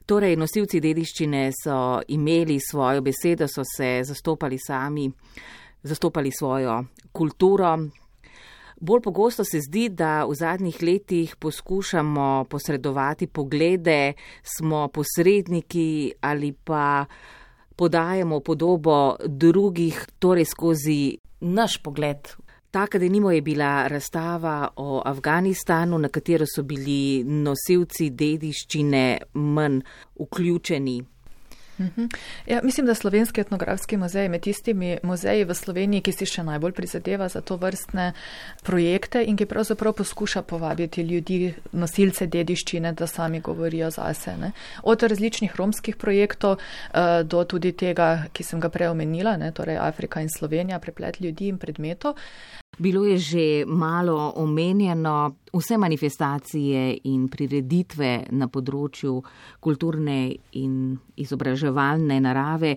Torej, nosilci dediščine so imeli svojo besedo, so se zastopali sami, zastopali svojo kulturo. Bolj pogosto se zdi, da v zadnjih letih poskušamo posredovati poglede, smo posredniki ali pa podajamo podobo drugih, torej skozi naš pogled. Taka denimo je bila razstava o Afganistanu, na katero so bili nosilci dediščine manj vključeni. Ja, mislim, da Slovenski etnografski muzej med tistimi muzeji v Sloveniji, ki si še najbolj prizadeva za to vrstne projekte in ki pravzaprav poskuša povabiti ljudi, nosilce dediščine, da sami govorijo zase. Od različnih romskih projektov do tudi tega, ki sem ga prej omenila, torej Afrika in Slovenija, preplet ljudi in predmetov. Bilo je že malo omenjeno, vse manifestacije in prireditve na področju kulturne in izobraževalne narave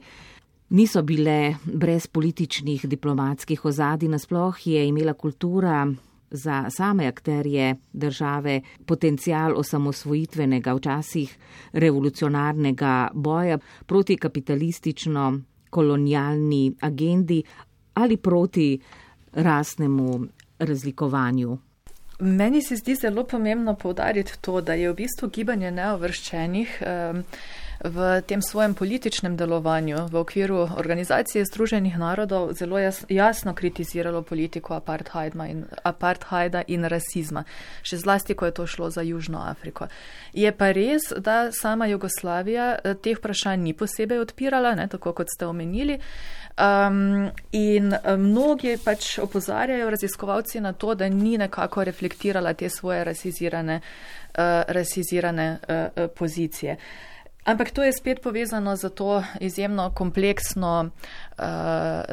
niso bile brez političnih diplomatskih ozadij. Nasploh je imela kultura za same akterje države potencial osamosvojitvenega, včasih revolucionarnega boja proti kapitalistično kolonialni agendi ali proti rasnemu razlikovanju? Meni se zdi zelo pomembno poudariti to, da je v bistvu gibanje neuvrščenih v tem svojem političnem delovanju v okviru Organizacije Združenih narodov zelo jasno kritiziralo politiko apartheida in rasizma, še zlasti, ko je to šlo za Južno Afriko. Je pa res, da sama Jugoslavija teh vprašanj ni posebej odpirala, tako kot ste omenili, in mnogi pač opozarjajo raziskovalci na to, da ni nekako reflektirala te svoje rasizirane pozicije. Ampak to je spet povezano z to izjemno kompleksno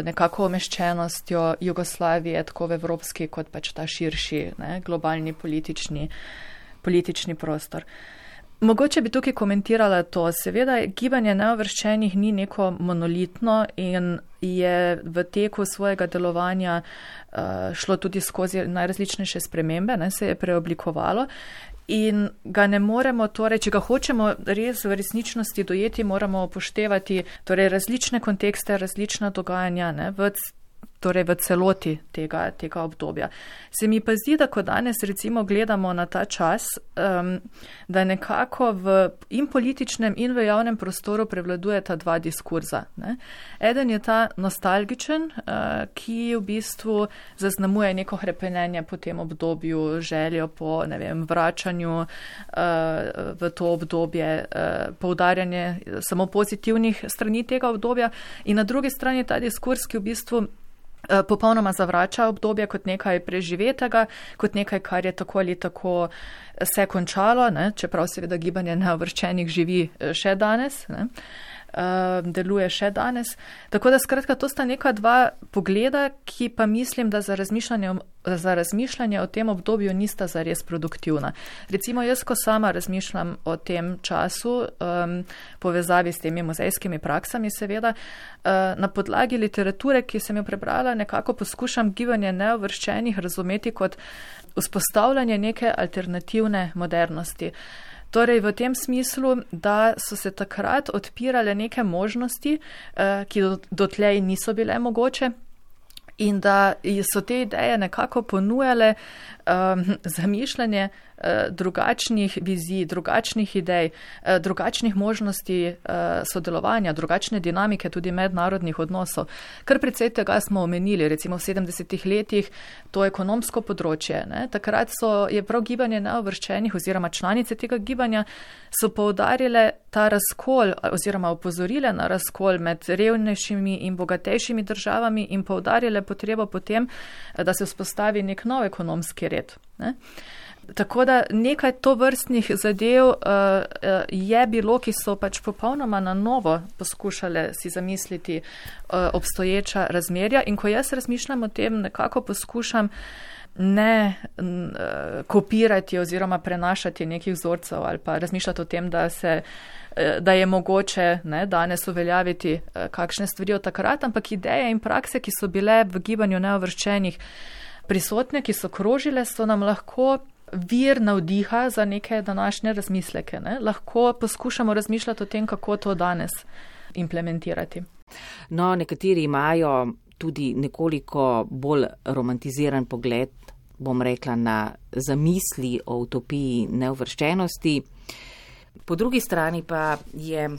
nekako umeščenostjo Jugoslavije, tako v evropski kot pač ta širši globalni politični prostor. Mogoče bi tukaj komentirala to. Seveda, gibanje neuvrščenih ni neko monolitno in je v teku svojega delovanja šlo tudi skozi najrazličnejše spremembe, se je preoblikovalo. In ga ne moremo, torej, če ga hočemo res v resničnosti dojeti, moramo upoštevati torej, različne kontekste, različna dogajanja v celoti tega obdobja. Se mi pa zdi, da ko danes recimo gledamo na ta čas, da nekako v in političnem in v javnem prostoru prevladujeta dva diskurza. Eden je ta nostalgičen, ki v bistvu zaznamuje neko hrepenenje po tem obdobju, željo po vračanju v to obdobje, poudarjanje samo pozitivnih strani tega obdobja, in na drugi strani ta diskurs, ki v bistvu popolnoma zavrača obdobje kot nekaj preživetega, kot nekaj, kar je tako ali tako se končalo, čeprav seveda gibanje neuvrščenih živi še danes, deluje še danes. Tako da skratka, to sta neka dva pogleda, ki pa mislim, da za razmišljanje o tem obdobju nista zares produktivna. Recimo jaz, ko sama razmišljam o tem času, povezavi s temi muzejskimi praksami seveda, na podlagi literature, ki sem jo prebrala, nekako poskušam gibanje neuvrščenih razumeti kot vzpostavljanje neke alternativne modernosti. Torej v tem smislu, da so se takrat odpirale neke možnosti, ki dotlej niso bile mogoče, in da so te ideje nekako ponujale zamišljanje drugačnih vizij, drugačnih idej, drugačnih možnosti sodelovanja, drugačne dinamike tudi mednarodnih odnosov. Kar precej tega smo omenili, recimo v 70-ih letih to ekonomsko področje. Takrat je prav gibanje neuvrščenih oziroma članice tega gibanja so poudarile ta razkol oziroma opozorile na razkol med revnejšimi in bogatejšimi državami in poudarile potrebo potem, da se vzpostavi nek nov ekonomski red. Tako da nekaj tovrstnih zadev je bilo, ki so pač popolnoma na novo poskušale si zamisliti obstoječa razmerja, in ko jaz razmišljam o tem, nekako poskušam ne kopirati oziroma prenašati nekih vzorcev ali pa razmišljati o tem, da je mogoče danes uveljaviti kakšne stvari od takrat, ampak ideje in prakse, ki so bile v gibanju neuvrščenih prisotne, ki so krožile, so nam lahko vir navdiha za neke današnje razmisleke. Lahko poskušamo razmišljati o tem, kako to danes implementirati. No, nekateri imajo tudi nekoliko bolj romantiziran pogled, bom rekla, na zamisli o utopiji neuvrščenosti. Po drugi strani pa je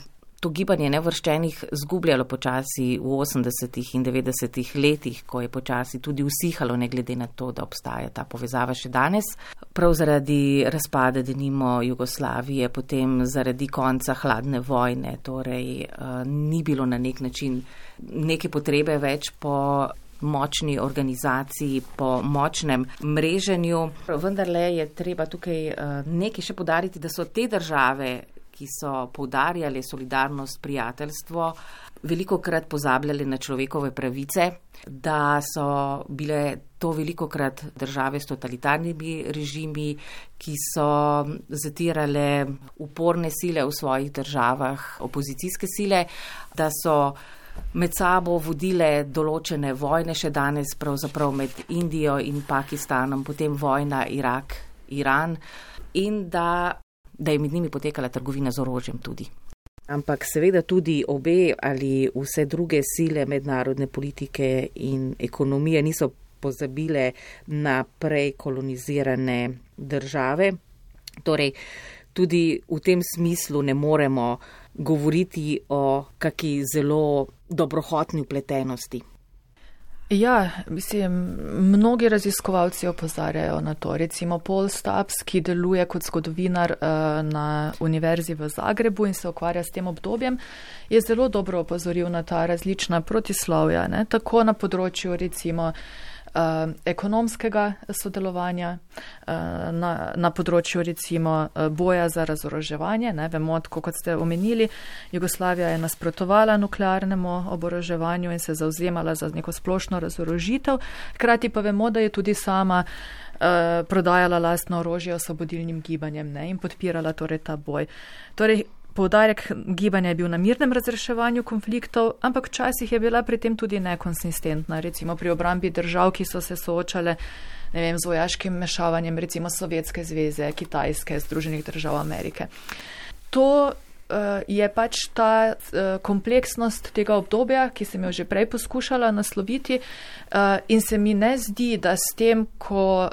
to gibanje neuvrščenih zgubljalo počasi v 80. in 90. letih, ko je počasi tudi usihalo, ne glede na to, da obstaja ta povezava še danes. Prav zaradi razpada denimo Jugoslavije, potem zaradi konca hladne vojne, torej ni bilo na nek način neke potrebe več po močni organizaciji, po močnem mreženju. Vendarle je treba tukaj nekaj še poudariti, da so te države, ki so poudarjale solidarnost, prijateljstvo, velikokrat pozabljale na človekove pravice, da so bile to velikokrat države s totalitarnimi režimi, ki so zatirale uporne sile v svojih državah, opozicijske sile, da so med sabo vodile določene vojne še danes, pravzaprav med Indijo in Pakistanom, potem vojna Irak-Iran in da je med njimi potekala trgovina z orožjem tudi. Ampak seveda tudi obe ali vse druge sile mednarodne politike in ekonomije niso pozabile na prej kolonizirane države. Torej, tudi v tem smislu ne moremo govoriti o kaki zelo dobrohotni vpletenosti. Ja, mislim, mnogi raziskovalci opozarjajo na to. Recimo Paul Stubbs, ki deluje kot zgodovinar na Univerzi v Zagrebu in se ukvarja s tem obdobjem, je zelo dobro opozoril na ta različna protislovja, ne? Tako na področju recimo ekonomskega sodelovanja, na področju recimo boja za razoroževanje. Ne, vemo, kot ste omenili, Jugoslavija je nasprotovala nuklearnemu oboroževanju in se zavzemala za neko splošno razorožitev, hkrati pa vemo, da je tudi sama prodajala lastno orožje osvobodilnim gibanjem, ne, in podpirala torej ta boj. Torej, poudarek gibanja je bil na mirnem razreševanju konfliktov, ampak včasih je bila pri tem tudi nekonsistentna, recimo pri obrambi držav, ki so se soočale, ne vem, z vojaškim mešavanjem, recimo Sovjetske zveze, Kitajske, Združenih držav Amerike. To je pač ta kompleksnost tega obdobja, ki sem jo že prej poskušala nasloviti, in se mi ne zdi, da s tem, ko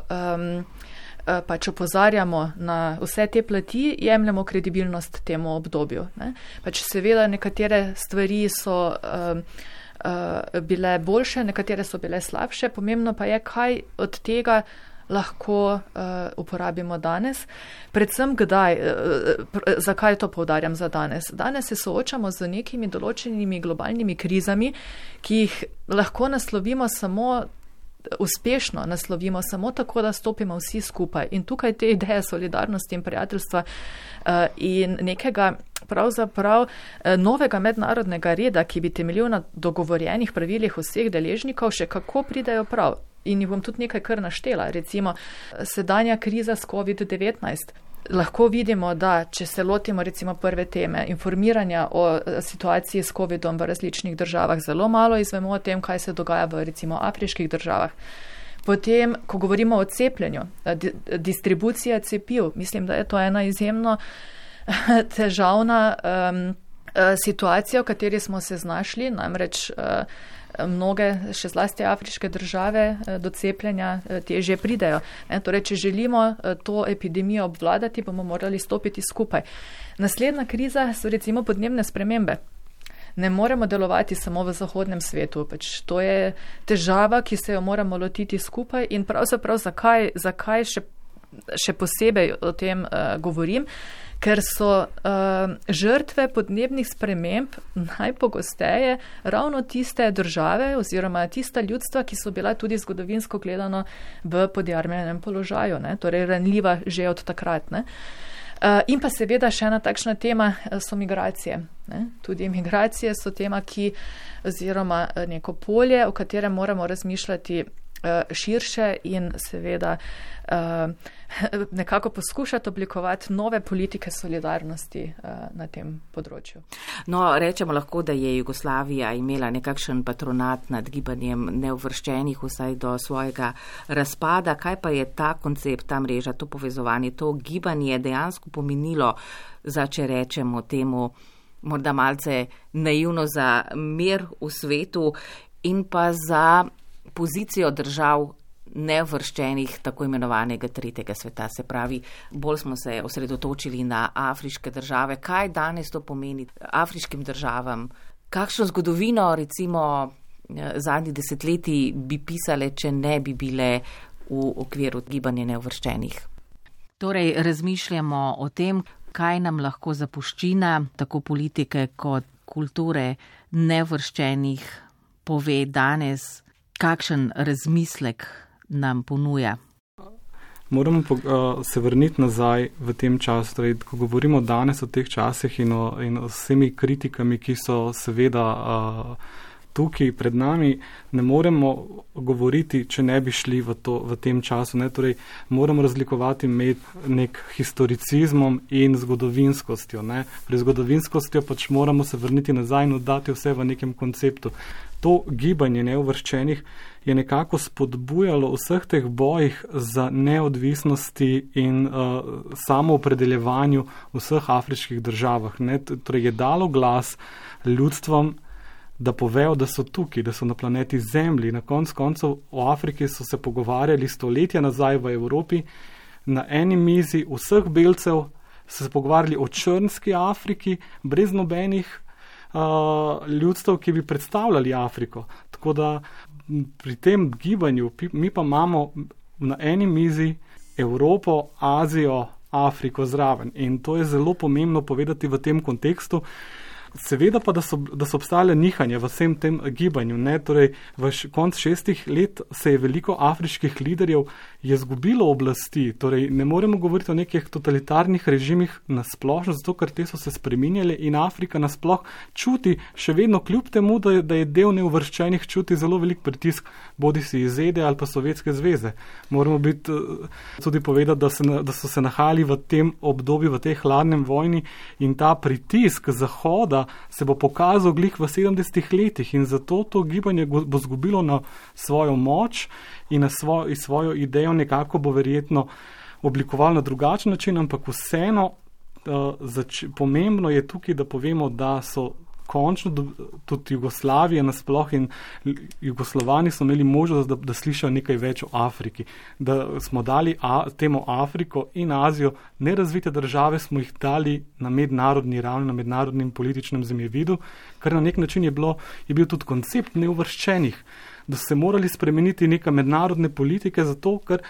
pač opozarjamo na vse te plati, jemljamo kredibilnost temu obdobju. Ne? Pač seveda nekatere stvari so bile boljše, nekatere so bile slabše, pomembno pa je, kaj od tega lahko uporabimo danes. Predvsem kdaj, zakaj to poudarjam za danes? Danes se soočamo z nekimi določenimi globalnimi krizami, ki jih lahko naslovimo uspešno naslovimo samo tako, da stopimo vsi skupaj. In tukaj te ideje solidarnosti in prijateljstva in nekega pravzaprav novega mednarodnega reda, ki bi temeljil na dogovorjenih pravilih vseh deležnikov, še kako pridejo prav. In jih bom tudi nekaj kar naštela. Recimo, sedanja kriza s COVID-19. Lahko vidimo, da če se lotimo recimo prve teme informiranja o situaciji s COVID-om v različnih državah, zelo malo izvemo o tem, kaj se dogaja v recimo afriških državah. Potem, ko govorimo o cepljenju, distribucija cepiv, mislim, da je to ena izjemno težavna situacija, v kateri smo se znašli, namreč mnoge, še zlasti afriške države, do cepljenja težje pridejo. Torej, če želimo to epidemijo obvladati, bomo morali stopiti skupaj. Naslednja kriza so recimo podnebne spremembe. Ne moremo delovati samo v zahodnem svetu. Pač to je težava, ki se jo moramo lotiti skupaj in pravzaprav zakaj še posebej o tem govorim, ker so žrtve podnebnih sprememb najpogosteje ravno tiste države oziroma tista ljudstva, ki so bila tudi zgodovinsko gledano v podjarmljenem položaju, ne? Torej ranljiva že od takrat. Ne? In pa seveda še ena takšna tema so migracije. Ne? Tudi migracije so tema, oziroma neko polje, o katerem moramo razmišljati širše in seveda nekako poskušati oblikovati nove politike solidarnosti na tem področju. No, rečemo lahko, da je Jugoslavija imela nekakšen patronat nad gibanjem neuvrščenih vsaj do svojega razpada. Kaj pa je ta koncept, ta mreža, to povezovanje, to gibanje dejansko pomenilo za, če rečemo temu, morda malce naivno, za mir v svetu in pa za pozicijo držav neuvrščenih tako imenovanega tretjega sveta. Se pravi, bolj smo se osredotočili na afriške države. Kaj danes to pomeni afriškim državam? Kakšno zgodovino, recimo, zadnjih desetletij bi pisale, če ne bi bile v okviru gibanja neuvrščenih? Torej, razmišljamo o tem, kaj nam lahko zapuščina, tako politike kot kulture neuvrščenih, pove danes, kakšen razmislek nam ponuja. Moramo se vrniti nazaj v tem času. Torej, ko govorimo danes o teh časih in o vsemi kritikami, ki so seveda tukaj pred nami, ne moremo govoriti, če ne bi šli v tem času. Ne? Torej, moramo razlikovati med nek historicizmom in zgodovinskostjo. Ne? Pri zgodovinskostjo pač moramo se vrniti nazaj in oddati vse v nekem konceptu. To gibanje neuvrščenih je nekako spodbujalo vseh teh bojih za neodvisnosti in samoopredeljevanju v vseh afriških državah. Ne? Torej je dalo glas ljudstvom, da povejo, da so tukaj, da so na planeti Zemlji. Na koncu o Afriki so se pogovarjali stoletja nazaj v Evropi. Na eni mizi vseh belcev so se pogovarjali o črnski Afriki, brez nobenih ljudstev, ki bi predstavljali Afriko. Tako da pri tem gibanju mi pa imamo na eni mizi Evropo, Azijo, Afriko zraven. In to je zelo pomembno povedati v tem kontekstu. Seveda pa, da so obstajale nihanje v vsem tem gibanju. Ne? Torej, v konc 6 let se je veliko afriških liderjev izgubilo oblasti. Torej, ne moremo govoriti o nekih totalitarnih režimih nasplošno, zato ker te so se spreminjale in Afrika nasploh čuti, še vedno kljub temu, da je del neuvrščenih, čuti zelo velik pritisk, bodi si iz ZDA ali pa Sovjetske zveze. Moramo biti tudi povedati, da so se nahajali v tem obdobju, v tej hladnem vojni in ta pritisk Zahoda se bo pokazal glih v 70 letih in zato to gibanje bo zgubilo na svojo moč in na svojo idejo nekako bo verjetno oblikovalo na drugačen način, ampak vseeno pomembno je tukaj, da povemo, da so končno tudi Jugoslavije nasploh in Jugoslovani so imeli možnost, da slišajo nekaj več o Afriki. Da smo dali temu Afriko in Azijo, nerazvite države smo jih dali na mednarodni ravni, na mednarodnem političnem zemljevidu, kar na nek način je bil tudi koncept neuvrščenih, da so se morali spremeniti neke mednarodne politike, zato ker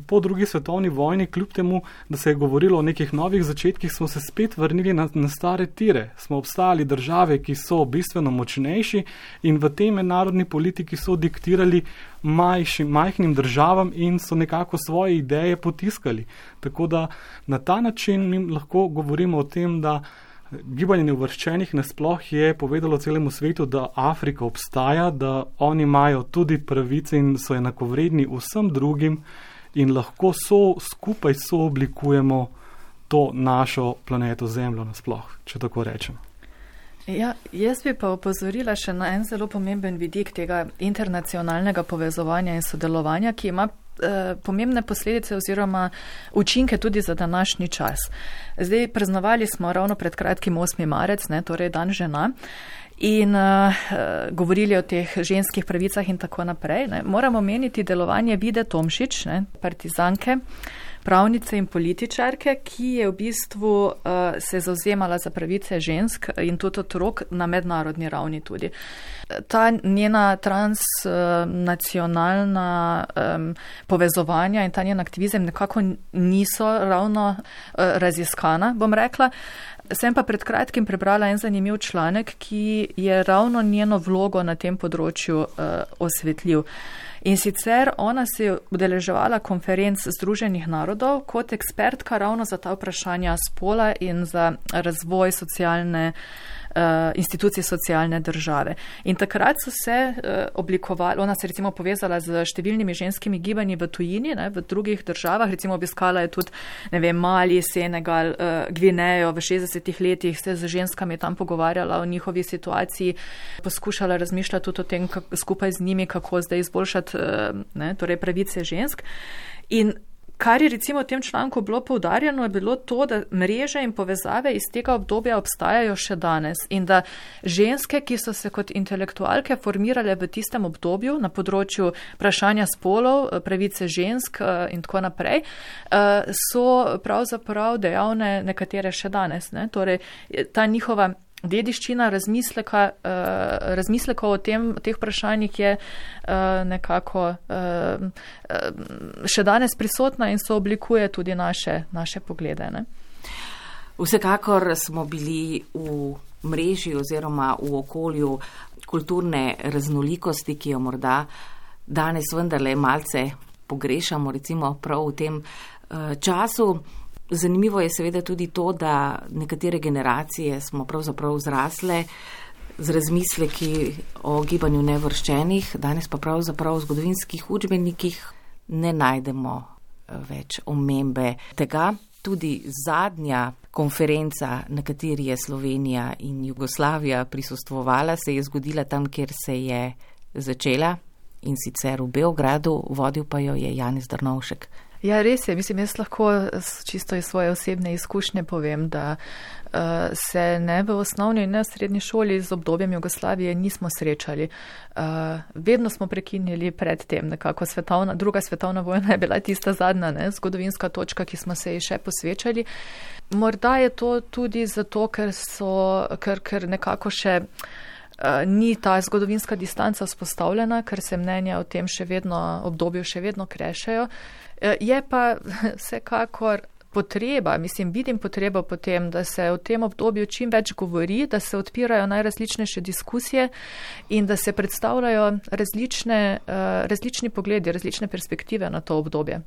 po drugi svetovni vojni, kljub temu, da se je govorilo o nekih novih začetkih, smo se spet vrnili na stare tire. Smo obstajali države, ki so bistveno močnejši in v tej mednarodni politiki so diktirali majhnim državam in so nekako svoje ideje potiskali. Tako da na ta način mi lahko govorimo o tem, da gibanje neuvrščenih nasploh je povedalo celemu svetu, da Afrika obstaja, da oni imajo tudi pravice in so enakovredni vsem drugim in lahko skupaj sooblikujemo to našo planeto Zemljo nasploh, če tako rečem. Ja, jaz bi pa opozorila še na en zelo pomemben vidik tega internacionalnega povezovanja in sodelovanja, ki ima pomembne posledice oziroma učinke tudi za današnji čas. Zdaj praznovali smo ravno pred kratkim 8. marec, torej dan žena, in govorili o teh ženskih pravicah in tako naprej. Moramo meniti delovanje Vide Tomšič, partizanke, pravnice in političarke, ki je v bistvu se zauzemala za pravice žensk in tudi otrok na mednarodni ravni tudi. Ta njena transnacionalna povezovanja in ta njen aktivizem nekako niso ravno raziskana, bom rekla. Sem pa pred kratkim prebrala en zanimiv članek, ki je ravno njeno vlogo na tem področju osvetljiv. In sicer ona se je udeleževala konferenc Združenih narodov kot ekspertka ravno za ta vprašanja spola in za razvoj institucij socialne države. In takrat so se oblikovali, ona se recimo povezala z številnimi ženskimi gibanji v tujini, v drugih državah, recimo obiskala je tudi, Mali, Senegal, Gvinejo v 60 letih, se z ženskami tam pogovarjala o njihovi situaciji, poskušala razmišljati tudi o tem, skupaj z njimi, kako zdaj izboljšati torej pravice žensk. In kar je recimo v tem članku bilo poudarjeno, je bilo to, da mreže in povezave iz tega obdobja obstajajo še danes in da ženske, ki so se kot intelektualke formirale v tistem obdobju na področju vprašanja spolov, pravice žensk in tako naprej, so pravzaprav dejavne nekatere še danes. Torej, ta njihova dediščina razmisleka o teh vprašanjih je nekako še danes prisotna in so oblikuje tudi naše poglede. Vsekakor smo bili v mreži oziroma v okolju kulturne raznolikosti, ki jo morda danes vendarle malce pogrešamo, recimo prav v tem času. Zanimivo je seveda tudi to, da nekatere generacije smo pravzaprav zrasle z razmisleki o gibanju neuvrščenih, danes pa pravzaprav v zgodovinskih učbenikih ne najdemo več omembe tega. Tudi zadnja konferenca, na kateri je Slovenija in Jugoslavija prisostvovala, se je zgodila tam, kjer se je začela, in sicer v Beogradu, vodil pa jo je Janez Drnovšek. Ja, res je. Mislim, jaz lahko čisto iz svoje osebne izkušnje povem, da se ne v osnovni in ne v srednji šoli z obdobjem Jugoslavije nismo srečali. Vedno smo prekinili pred tem, nekako druga svetovna vojna je bila tista zadnja, zgodovinska točka, ki smo se ji še posvečali. Morda je to tudi zato, ker nekako še ni ta zgodovinska distanca vzpostavljena, ker se mnenja o tem obdobju še vedno krešajo. Je pa vsekakor vidim potrebo potem, da se o tem obdobju čim več govori, da se odpirajo najrazličnejše diskusije in da se predstavljajo različni pogledi, različne perspektive na to obdobje.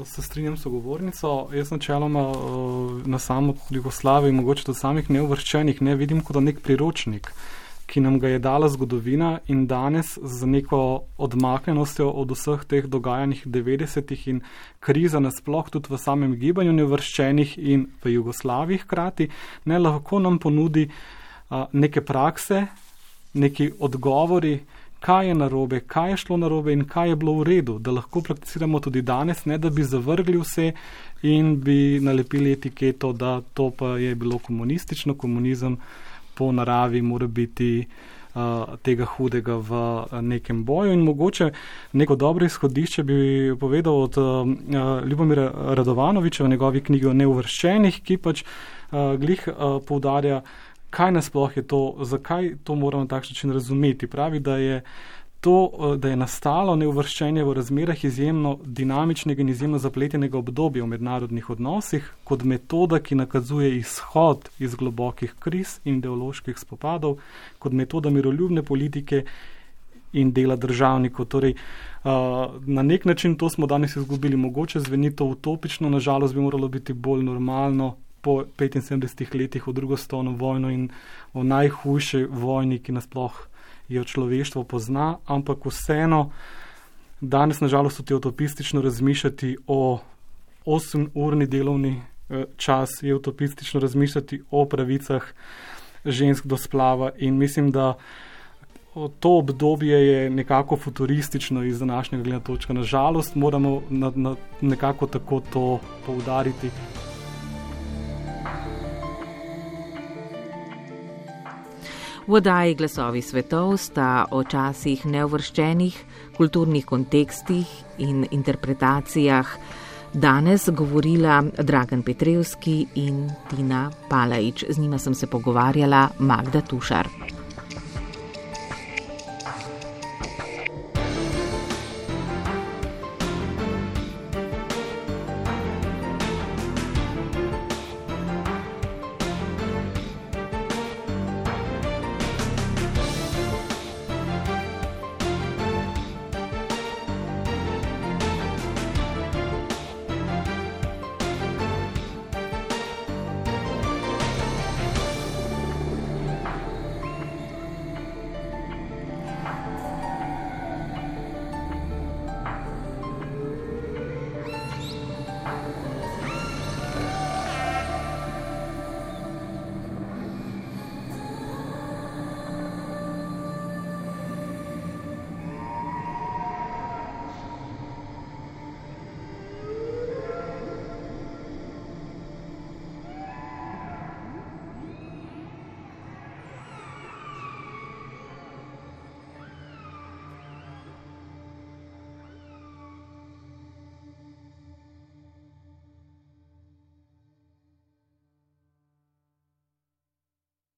Se strinjam s sogovornico. Jaz načeloma na samo Jugoslavijo, mogoče do samih neuvrščenih, ne vidim kot nek priročnik, ki nam ga je dala zgodovina, in danes z neko odmaknjenostjo od vseh teh dogajanjih 90-ih in kriza nasploh tudi v samem gibanju neuvrščenih in v Jugoslaviji hkrati, ne lahko nam ponudi neke prakse, neki odgovori, kaj je narobe, kaj je šlo narobe in kaj je bilo v redu, da lahko prakticiramo tudi danes, ne da bi zavrgli vse in bi nalepili etiketo, da to pa je bilo komunistično, komunizem po naravi mora biti tega hudega v nekem boju. In mogoče neko dobro izhodišče bi povedal od Ljubomira Radovanoviča v njegovi knjigi o neuvrščenih, ki pač glih poudarja, kaj nasploh je to, zakaj to moramo na takšen način razumeti. Pravi, da je nastalo neuvrščenje v razmerah izjemno dinamičnega in izjemno zapletenega obdobja v mednarodnih odnosih kot metoda, ki nakazuje izhod iz globokih kriz in ideoloških spopadov, kot metoda miroljubne politike in dela državnikov. Torej, na nek način to smo danes izgubili. Mogoče zveni to utopično, nažalost bi moralo biti bolj normalno po 75 letih v drugo svetovno vojno in o najhujši vojni, ki nasploh jo človeštvo pozna, ampak vseeno danes nažalost tudi utopistično razmišljati o 8-urni delovni čas, je utopistično razmišljati o pravicah žensk do splava, in mislim, da to obdobje je nekako futuristično iz današnjega gledanja točka. Nažalost moramo nekako tako to poudariti. V oddaji Glasovi svetov sta o časih neuvrščenih, kulturnih kontekstih in interpretacijah danes govorila Dragan Petrevski in Tina Palaič. Z njima sem se pogovarjala Magda Tušar.